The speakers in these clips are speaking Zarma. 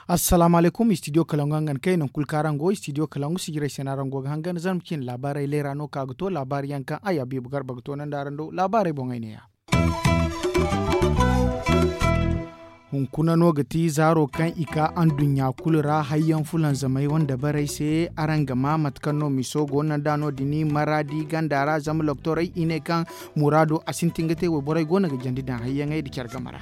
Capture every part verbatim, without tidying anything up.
Assalaamu alaykum, istidiyo kalangu hangan kay nangu kulu kaŋ araŋ go istidiyo kalangu sijirey se no araŋ go ga hangan zarma cine laabaarey leera no ka ga to laabaari yaŋ kaŋ ay habiibu garba ga toonandi araŋ do laabaarey boŋey ne-ya. Hunkuna no ga ti zaaro kaŋ i ka anduɲɲa kulu ra hayyaŋ fulanzamey wane dabarey se araŋ ga ma mate kaŋ no miso go no nda no- din maraadi ganda ra zama loktorey i ne kaŋ muraado a sintin ga te wayborey go no ga jandi daŋ hayyaŋey nda care game ra.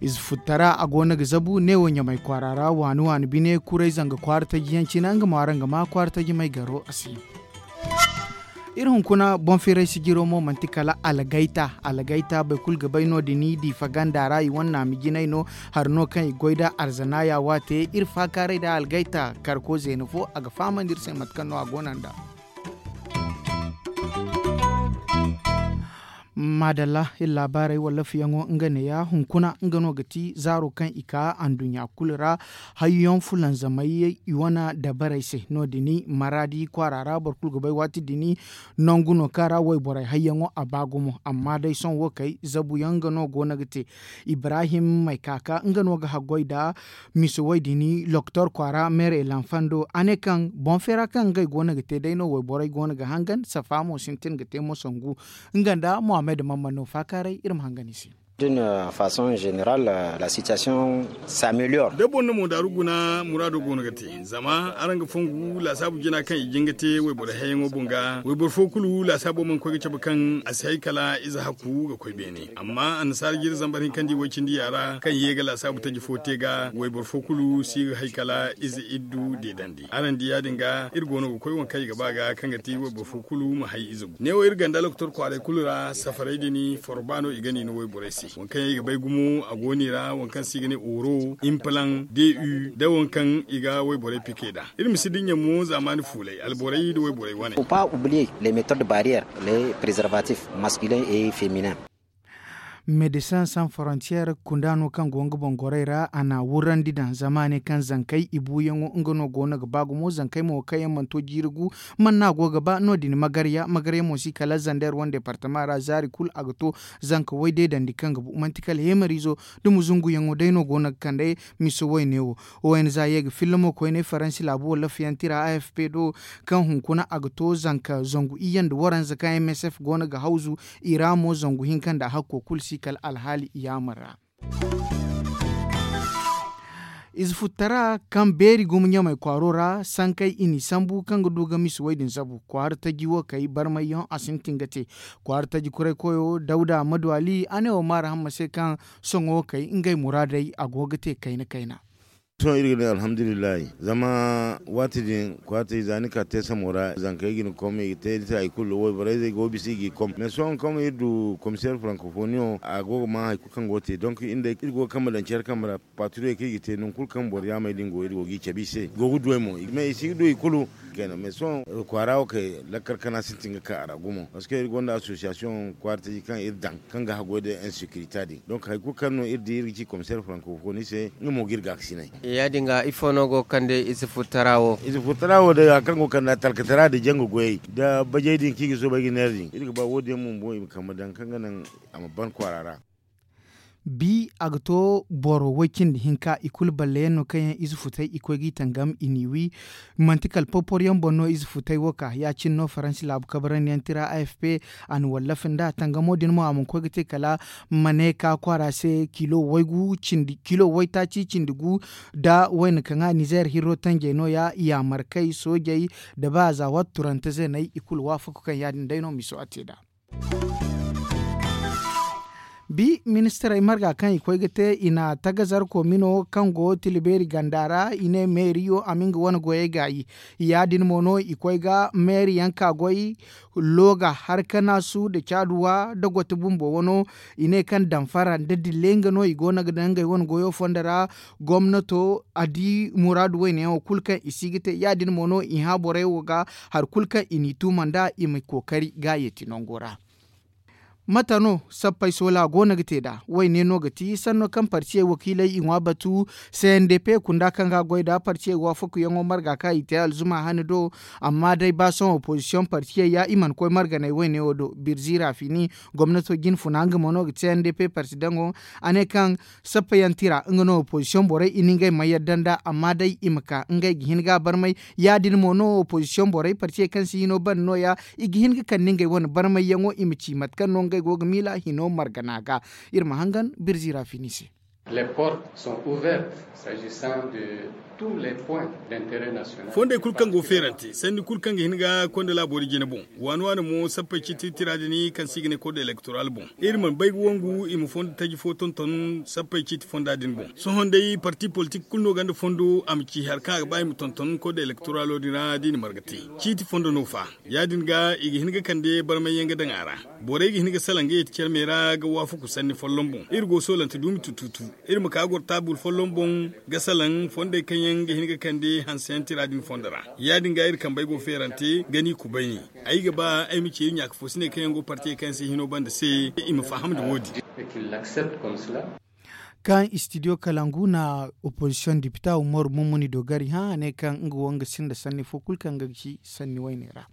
Ize futtara a go no ga zabu neewo ɲamay kwaara ra waani waani bine kuray zanga kwaara taji yaŋ cine nga mo araŋ ga ma kwaara taji may garo a se. Iri hunkuna boŋ firay sijiro mo manti kala algayta algayta boro kulu ga bay no- din diifa ganda ra i wane naami jinay no. Hari no kaŋ i goy nda arzanaya waate iri faakaaray nda algayta karko zeena fo a ga fahamandi iri se mate kaŋ no a go no nd'a. Maadalla iri laabaarey wallafiyaŋo nga neeya hunkuna nga no ga ti zaaro kaŋ i ka anduɲɲa kulu ra. Hayyaŋ fulanzamey i wane dabarey se no- din maraadi kwaara ra boro kulu ga bay waati din nangu no kaŋ ra wayborey hayyaŋo a ba gumo amma day sohõ wo kay zabuyaŋ nga no go no ga te. Ibrahim maykaka nga no ga haggoy nda mise way din loktor kwaara meere lanfando a ne kaŋ boŋ feera kaŋ ngey go no ga te day no wayborey go no ga hangan safa mo sintin ga te mo sangu. Nga nda mohammed mamman no faakaaray iri ma hangan i se. D'une façon générale, la situation s'améliore. Da boro na mo daaru guna muraado go no ga te zama araŋ ga fongu laasaabu jina kaŋ i jin ga te wayboro hayyaŋo boŋ ga wayboro fo kulu laasaabo mana koy ga cabe kaŋ a si hay kala ize hakku ga koy beene amma annasaara jiri zambar hinkandi way cindi yaara kaŋ ye ga laasaabu taji fo te ga wayboro fo kulu si ga hay kala ize iddu deedandi araŋ di ya- din ga iri go no ga koy waŋ kaŋ i ga ba ga kaŋ ga ti wayboro fo kulu ma hay ize gu neewo iri ganda lokotor kwaaray kulu ra safaray din forba no i ga ni no wayborey se waŋ kaŋ yaŋ i ga bay gumo a go no i ra waŋ kaŋ se i ga ne oro implan de u da waŋ kaŋ i ga wayborey pike nd'a. Iri ma si dinya mo zaamaani fuulay alborey nda wayborey wane. Faut pas oublier les méthodes barrières, les préservatifs masculins et féminins. Médecins sans frontières kunda no kaŋ go nga boŋ gorey ra a na wurrandi daŋ zama a ne kaŋ zankey i buuyaŋo nga no go no ga ba gumo zankey mo kaŋ yaŋ mana to jiiri gu. Mana no a go ga ba no- din magarya magarya mo si kala zander wane departama ra zaari kulu a ga to zanka way deedandi kaŋ ga bu manti kala heemariizo da muzunguyaŋo day no go no ga kande. Miso wayne wo. Ong ye ga filla mo koyne faransi laabu wallafiyantira afp do kaŋ hunkuna a ga to zanka zangu iyye nda waranza kaŋ msf go no ga hawzu i ra mo zangu hinka nda hakko kulu si kala alhaali i yaamar ra. Ize futtara kaŋ beeri gumo ɲamey kwaaro ra sankey i n'i sambu kaŋ ga du ga misi wey din zabu kwaara taji wo kay barmayyaŋ a sintin ga te. Kwaara taji kuray koyo dawda maduwali a ne wo maara hamma se kaŋ sohõ wo kay ngey muraadey a go ga te kayna kayna. Sohõ iri ga ne alhamdulillahi zama waati din kwaati za ni ka te samo ra zankey ga ni kom i ga te ni se hari kulu wayborey zey go ga bisa i g'i kom mais sohõ kaŋ iri du komiseer frankofoniyo a go ga ma hari kulu kaŋ go ga te donk iri go ga kambe daŋ care kambe ra. Paturey kaŋ i ga te nangu kulu kaŋ boro yaamey din go iri go g'i cabe i se i go ga duwey mo mais i si ga du i kulu. Mais sohõ kwaara wo kay lakkal kana sintin ga ka a ra gumo parceque iri gonda association kwaara taji kaŋ iri daŋ kaŋ ga haggoy da insekirita din donk hari kulu kaŋ no iri di iri ga ci komiseer frankofoni se nga mo ga iri gaakasinay. Ya- din ga ifo no go ga kande ize furtara wo? Ize furtara wo day hari kaŋ go ga kande a talkatara nda janga goyey nda bajey din kaŋ i ga soobay ga neera din iri ga ba wo- din yaŋ bumbo i ma kambe daŋ kaŋ ga naŋ a ma ban kwaara ra. Bi a ga to boro way cindi hinka i kulu balle yaŋ no kaŋ yaŋ ize futay i koy g'i tangam i n'i wi. Manti kala porpor yaŋ boŋ no ize futay wo ka ya- cine no faransi laabu kabarandi yaŋ tira afp a na wallafa nd'a tangamo din mo a mana koy ga te kala ma ne ka kwaara se kilo waygu cindi kilo waytaaci cindi gu nda wayna kaŋ a nizeer hirro tanjey no- ya yaamarkey soojey nda ba za waati turante zeeney i kulu waafaka kaŋ ya- din day no miso a te nd'a. Bi ministirey marga kaŋ i koy ga te i na tagazar komino kaŋ go tilibeeri ganda ra i ne meeriyo a ma nga wane goyey gaayi. Ya- din mo no i koy ga meeriyaŋ ka goy looga harkanaasu nda caaduwa nda gote bumbo wano. I ne kaŋ damfara nda dille nga no i go no ga daŋ ngey wane goyo fondo ra. Gomnato a di muraadu wayne yaŋo kulu kaŋ i si ga te ya- din mo no i hã borey wo ga hari kulu kaŋ i n'i tuuma nd'a i ma kookari ga yeeti nango ra. Mate no sappey soola go no ga te nd'a? Woyne no ga ti sanno kaŋ partiyey wakiiley i ŋwa batu. C N D P kunda kaŋ ga goy nd'a partiyey waafakuyaŋo marga kaŋ i te alzuma hane do. Amma day ba sohõ opozisiyoŋ partiyey ya i mana koy marganay woyne wo do birzi rafini. Gomnato jinfuna nga mo no ga C N D P partidaŋo. A ne kaŋ sappayaŋ tira nga no opozisiyoŋ borey i na ngey ma yadda nd'a amma day i ma ka ngey ga hin ga a barmay. Ya- din mo no opozisiyoŋ borey partiyey kaŋ si hino banda no- ya i ga hin ga kande ngey wane barmayyaŋo i ma ci mate kaŋ no ngey go ga miila hino margana ga. Iri ma hangan birzi rafini se. Fondey kulu kaŋ go feerante sanni kulu kaŋ ga hin ga konda laabo da jine boŋ. Waani waani mo sappey ciiti tira din kaŋ se i ga ne kode elektoral boŋ. Iri mana bay ga wangu i ma fondo taji fo tonton sappey ciiti fonda din boŋ. Sohõ day parti politik kulu no gonda fondo a ma ci hari kaŋ a ga ba i ma tonton kode elektoralo din ra da i na marga te. Ciiti fondo no fa? Ya- din ga i ga hin ga kande barmay yaŋ ga daŋ a ra. Borey ga hin ga salaŋ ga yeeti care me ra ga waafaku sanni folloŋ boŋ iri go soolante duumi tututu. Iri ma ka goro taabul folloŋ boŋ ga salaŋ fondey kaŋ yaŋ ga hin ga kande hanseyaŋ tira din fondo ra. Ya- din ga iri kambey go feerante ga ni kubayni. Ay ga ba ay ma ci iri ɲaaka fo si ne kaŋ yaŋ go partiyey kaŋ yaŋ si hino banda se i ma faham nda wo- din. Kaŋ istidiyo kalangu na opozisiyoŋ dipita umaru mummuni dogari hã a ne kaŋ nga wo nga sinda sanni fo kulu kaŋ ga ci sanni wayne ra.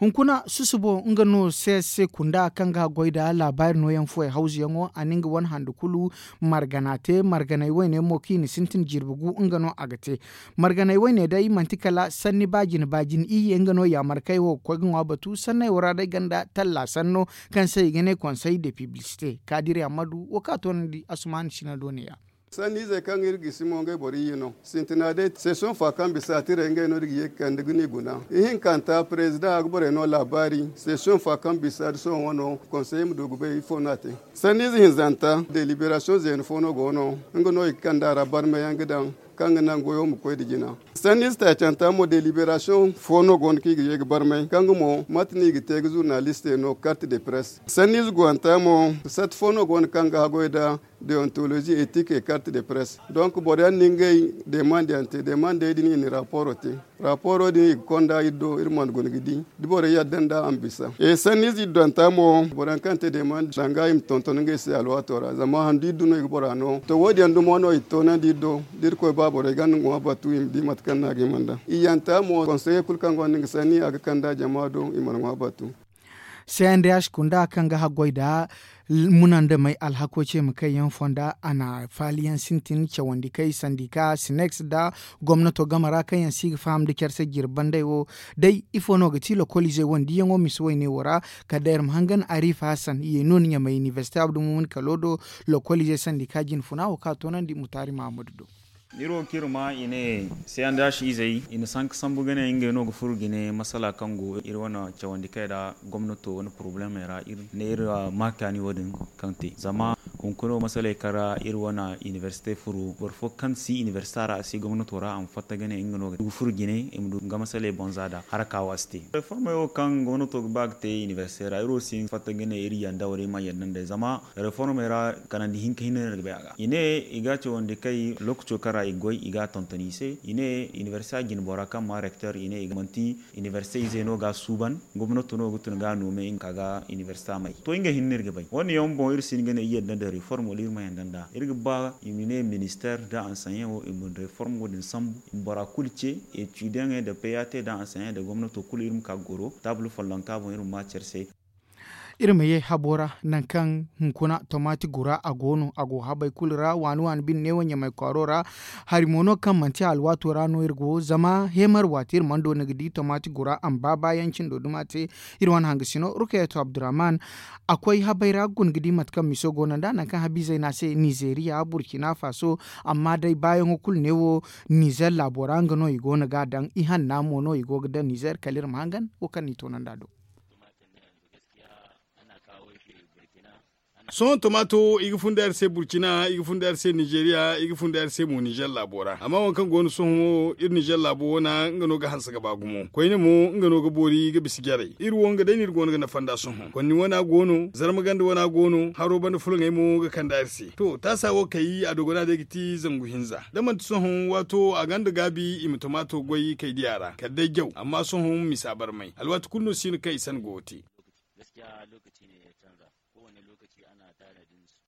Hunkuna susubo nga no c s c kunda kaŋ ga goy nda laabaari nooyaŋ fuwey hawzuyaŋo a na nga wane handu kulu margana te marganay wayne mo kaŋ i na sintin jirbi gu nga no a ga te. Marganay wayne day manti kala sanni baajine baajine iyye nga no yaamarkey wo ga koy ga ŋwa batu sanney wo ra day ganda talla sanno kaŋ se i ga ne konsey de piblisite kaadiri ammadu wo kaŋ a toonandi asumaani sina do ne- ya. Sanniizey kaŋ iri gisi mo ngey boro iyye no sintina day sesion fa kaŋ bisa tirey ngey no iri ga ye ga kande ga ni guna. Ihinkanta parezidaŋ a ga borey no laabaari sesion fa kaŋ bisa da sohõ wano konsey ma du ga bay ifo no a te. Sanniize hinzanta deliberasiyoŋ zeena fo no go no nga no i ga kande a ra barmayaŋ ga daŋ kaŋ ga naŋ goyo ma koy nda jina. Sanniize taacanta mo deliberasiyoŋ fo no go no kaŋ i ga ye ga barmay kaŋ ga mo mate no i ga te ga zurnalistey no karte de press sanniize guwanta mo sat fo no go no kaŋ ga haggoy nda deontolozi etik e karte de press. Donk boro yaŋ na ngey demande yaŋ te demandey din i na raporo te. Raporo din i ga konda iri do iri mana guna ga di da boro yadda nda a ma bisa e sanniize iri donta mo boro yaŋ kaŋ te demande danga i ma tonton ngey se alwaato ra zama handu iri du no i ga bora no to wo- din yaŋ dumo no i ga toonandi iri do da iri koy ba borey ganda ŋwa batu i ma di mate kaŋ no a ga hima nda i yanta mo konseye kulu kaŋ gonda nga sanni a ga kanda jama do i mana ŋwa batu. C n d h kunda kaŋ ga haggoy nda munandamey alhako ce ma kayyaŋ fonda a na faaliyaŋ sintin cawandi kay sandika sinex nda gomnato game ra kaŋ yaŋ si ga faham nda care se jirbi bandey wo. Day ifo no ga ti lokoliizey wo nda diyaŋo misa wayne wo ra kala day iri ma hangan arifa hasan ye no ni ɲamay inibersite abdulmumin kalo do. Lokoliizey sandika jinfuna wo kaŋ a toonandi mutaari mahammadu do. Iri wo kaŋ iri ma i ne c n d h izey i na sanka sambu ga ne ngey no ga furo ga ne masala kaŋ go iri wane cawandi kay ra gomnato wane porobalemey ra iri ne iri ma kaani wo- din kaŋ te zama hunkuna wo masaley kaŋ ra iri wane inibersite furo boro fo kaŋ si inibersite ra a si gomnato ra a ma fatta ga ne nga no ga furo ga ne i ma du nga masaley boŋ za nd'a haraka wo a si te. Reformey wo kaŋ gomnato ga ba ga te inibersite ra iri wo si hin ga fatta ga ne iri yanda wala iri mana yanda nd'ey zama reformey ra kanandi hinka hinne no iri ga bay a ga i ne i ga cawandi kay lookaco kaŋ ra i ga goy i ga a tonton i se i ne inibersite jinbora kaŋ maa rekter i ne i ga manti inibersite izey no ga a suuban gomnato no ga tun ga a noome nga ka ga inibersite may to nga hinne no iri ga bay wo- din yaŋ boŋ iri si hin ga ne iri yadda nda reform wala iri ma yadda nd'a iri ga ba i ma ne minister nda ansanyaŋo i ma reform wo- din sambu i ma bora kulu ce etudiyaŋey nda p a t nda ansanyaŋey nda gomnato kulu iri ma ka ga goro taabul follonka boŋ iri ma ma care se. Iri ma ye habo ra nangu kaŋ hunkuna tomaati gura a go no a go habey kulu ra waani waani bine neewo ɲamay kwaaro ra. Hari mo no kaŋ manti alwaato ra no iri go zama heemar waati iri mana doona ga di tomaati gura a ma ba baayaŋ cindo duma te. Iri wane hangasino rukayatu abdurrahman a koy habey ra ga guna ga di mate kaŋ miso go no nd'a nangu kaŋ habiizey no a se nizeeriya burkina faso. Amma day baayaŋo kulu neewo nizeer laabo ra nga no i go no ga a daŋ ihanna mo no i go ga daŋ nizeer kala iri ma hangan wo kaŋ no i toonandi a do. Sohõ tomaato i ga funda iri se burkina i ga funda iri se nizeeriya i ga funda iri se mo nizer laabo ra amma waŋ kaŋ go no sohõ wo iri nizer laabo wana nga no ga hanse ga ba gumo koyne mo nga no ga boori ga bisa jarey iri wo nga day no iri go no ga nafa nd'a sohõ konni wana go no zarma ganda wana go no haro banda fulaŋey mo ga kand'a iri se to taasa wo kay a dogona day ga ti zangu hinza da manti sohõ waato a gonda gaabi i ma tomaato goy kay diya ra kala day jaw amma sohõ misa barmay alwaati kulu no si no kaŋ i san go ga te. Lokaci ne ya canza. Kowane lokaci ana tanadin su.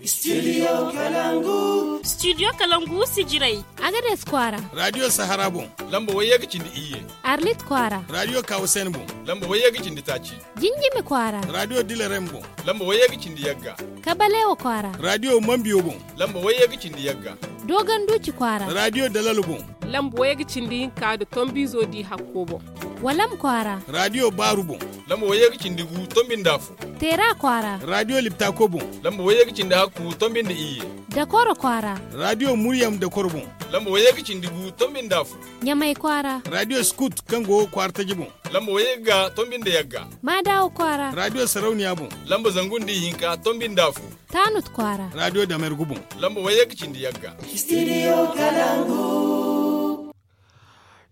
Studio Kalangu. Studio Kalangu, Sijirai. Agades Kwara. Radio Sahara boŋ. Lamba wayye ga cindi iyye. Arlit Kwara. Radio Kawusen boŋ. Lamba wayye ga cindi taci. Jinjimi Kwara. Radio Dilerem boŋ. Lamba wayye ga cindi yagga. Kabalewa Kwara. Radio Mambiyo boŋ. Lamba wayye ga cindi yagga. Dogon Duci Kwara. Radio Dalalo boŋ. Lamba wayye ga cindi hinka da Tombizo di hakko boŋ. Walam Kwara. Radio Baru boŋ. Lamba wayye ga cindi gu, Tombinda fu. Tera Kwara. Radio Liptako boŋ. Lamba wayye ga cindi hakku, Tombinda iyye. Dakoro Kwara. Radio Muryam Dakoro boŋ. Lamba wayye ga cindi gu, Tombinda fu. Ɲamay Kwara. Radio Scoot kaŋ go Kwara taji boŋ. Lamba wayye ga, Tombinda yagga. Madawa Kwara. Radio Sarauniya boŋ. Lamba zangu nda ihinka, Tombinda fu. Tanut Kwara. Radio Damergu boŋ. Lamba wayye ga cindi yagga. Studio Kalangu.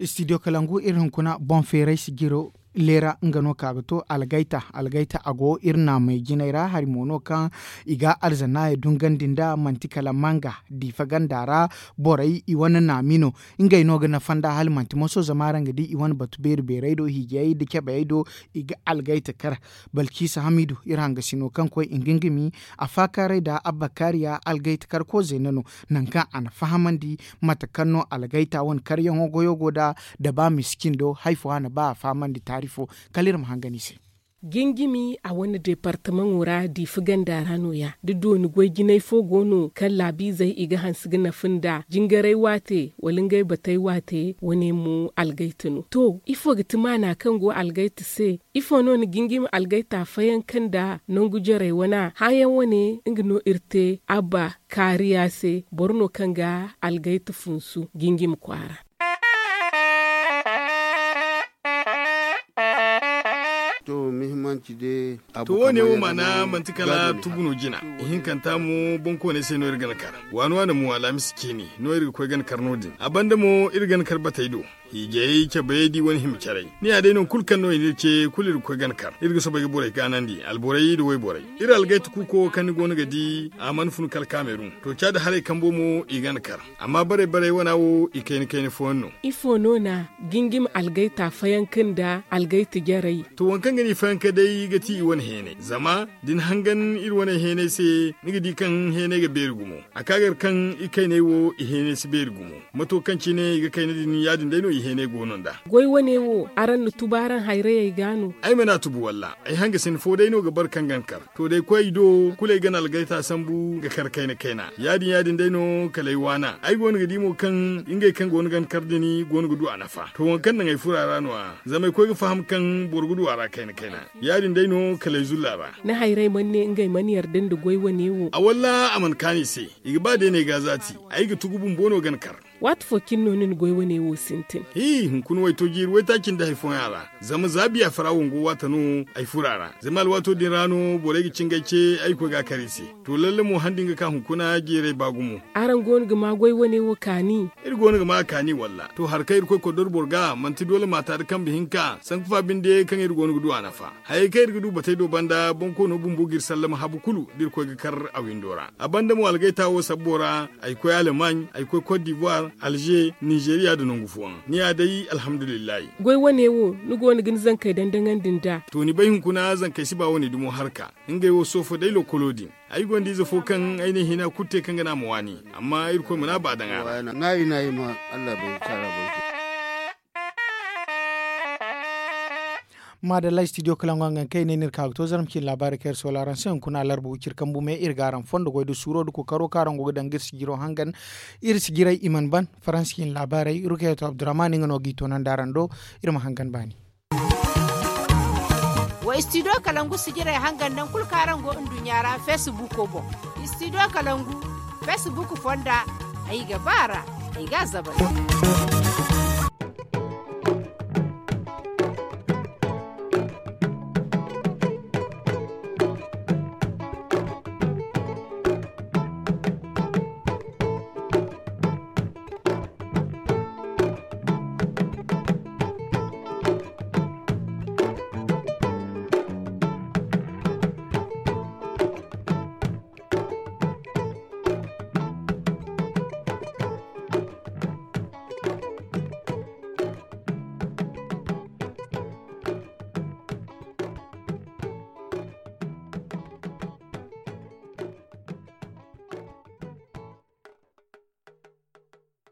Studio Kalangu, iri hunkuna boŋ feeray sijiro leera nga no ka ga to algayta. Algayta a go iri naamey jinay ra hari mo no kaŋ i ga alzannaayey dungandi nda manti kala manga diifa ganda ra. Borey i wane naami no. Ngey no ga nafa nda hala manti moso zama araŋ ga di i wane batu beeri beerey do hiijayey nda cabeyey do. I ga algayta kar. Balciisa hamiidu iri hangasino kaŋ koy ingingimi a faakaaray nda abba kaariya algayta kar ko zeena no. Nangu kaŋ a na fahamandi mate kaŋ no algayta wane karyaŋo goyo go nd'a da ba miskin do hari fo a na ba a fahamandi taari fo. Kala iri ma hangan i se. Gingimi a wane deepartamaŋo ra diifa ganda ra no- ya da dooni goy jinay fo go no kaŋ laabiizey i ga hanse ga nafa nd'a jingaray waate wala ngey batey waate wane mo algayta no. To ifo ga ti maana kaŋ go algayta se? Ifo no na gingimi algayta fayanka nda nangu jarey wana hããyaŋ wane nga no iri te abba kaariya se boro no kaŋ ga algayta funsu gingimi kwaara. To wo- ne wo maana manti kala tubu no jina. Ihinkanta mo boŋkooney se no iri ga na kar waani waani mo alaamis ceeni no iri ga koy ga na kar no- din a banda mo iri ga na kar batey do. Hiijayey cabayey da i wane hima caray ni ya day nangu kulu kaŋ no i n'iri ce kulu iri ga koy ga na kar iri ga soobay ga borey gaanandi alborey nda wayborey. Iri algayta kuuko kaŋ ni go no ga di a mana fun kala kaamerun to caadi haray kambo mo i ga na kar. Amma barey barey wana wo i kayna kayna fooyaŋ no. Ifo no na gingim algayta fayanka nda algayta jarey? To waŋ kaŋ ga ni fayanka day ga ti i wane heenay zama da ni hangan iri wane heenay se ni ga di kaŋ heenay ga beeri gumo. A ka gar kaŋ i kayney wo i heenay si beeri gumo. Mato kaŋ cine i ga kayna din ya- din day no i heenay go no nd'a. Goy wane wo araŋ na tubu araŋ hayrayey ga no? Ay mana tubu walla ay hangasin fo day no ga bar kaŋ ga na kar. To day koy i do kulu ay ga na algayta sambu ga kar kayna kayna ya- din ya- din day no kala ay waana ay go no ga di mo kaŋ ngey kaŋ go no ga na kar din go no ga du a nafa to waŋ kaŋ naŋ ay furo a ra no- ya. Zama ay koy ga faham kaŋ boro ga du a ra kayna kayna ya- din day no kala ay zulla ra. Ni hayray mana ne ngey mana yarda nda goy wane wo? A walla a mana kaanu i se. I ga ba day no ay ga a zaati. Ay ga tugu bumbo no ga na kar. Waati fo cine no ni na goy wane wo sintin? Hi hunkuna wayto jiiri waytaaci nda hari fooyaŋ a ra. Zama za biya fara wango waata no ay furo a ra zama alwaato din ra no borey ga cingay ce ay ga koy ga a kar i se. To lalle mo handi nga ka hunkuna jeeray ba gumo. Araŋ go no ga ma goy wane wo kaani? Iri go no ga ma a kaani walla to hari kaŋ iri koy koddor boro ga manti doole maata nda kambe hinka sanku fa binde kaŋ iri go no ga du a nafa. Hayey kaŋ iri ga du batey do banda boŋ koono bumbo ga iri sallama habu kulu da iri koy ga kar a windo ra. A banda mo algayta wo sabbo ra ay koy alemagne, ay koy cote d'ivoire, alger, nizeeriya nda nangu fooyaŋ ni ya day alhamdulillahi. Goy wane wo ni go no ga ni zankey dandaŋandi nd'a? To ni bay hunkuna zankey si ba wane dumo harka. Ngey wo soofo day lokolo din. Ay gonda ize fo kaŋ ay ne hina kulu te kaŋ ga ne a ma waani. Amma irkoy mana ba daŋ a ra. Maadalla studio kalaŋ go hangan kaŋ ay ne ni iri ka ga to zarma cine laabaari kaŋ iri soola araŋ se hunkuna alarba wiciri kambu me iri ga araŋ fondo goy nda suuro nda kookaro kaŋ araŋ go ga daŋ ga iri sijiro hangan. Iri sijiray i mana ban faransa cine laabaarey rukayatu abdurrahman nga no g'i toonandi araŋ do. Iri ma hangan baani. Wa studio kalangu sijiray hangan naŋ kulu kaŋ araŋ go nduɲɲa ra facebook boŋ. Studio kalangu facebook fonda. Ay ga ba ra ay ga a zabay.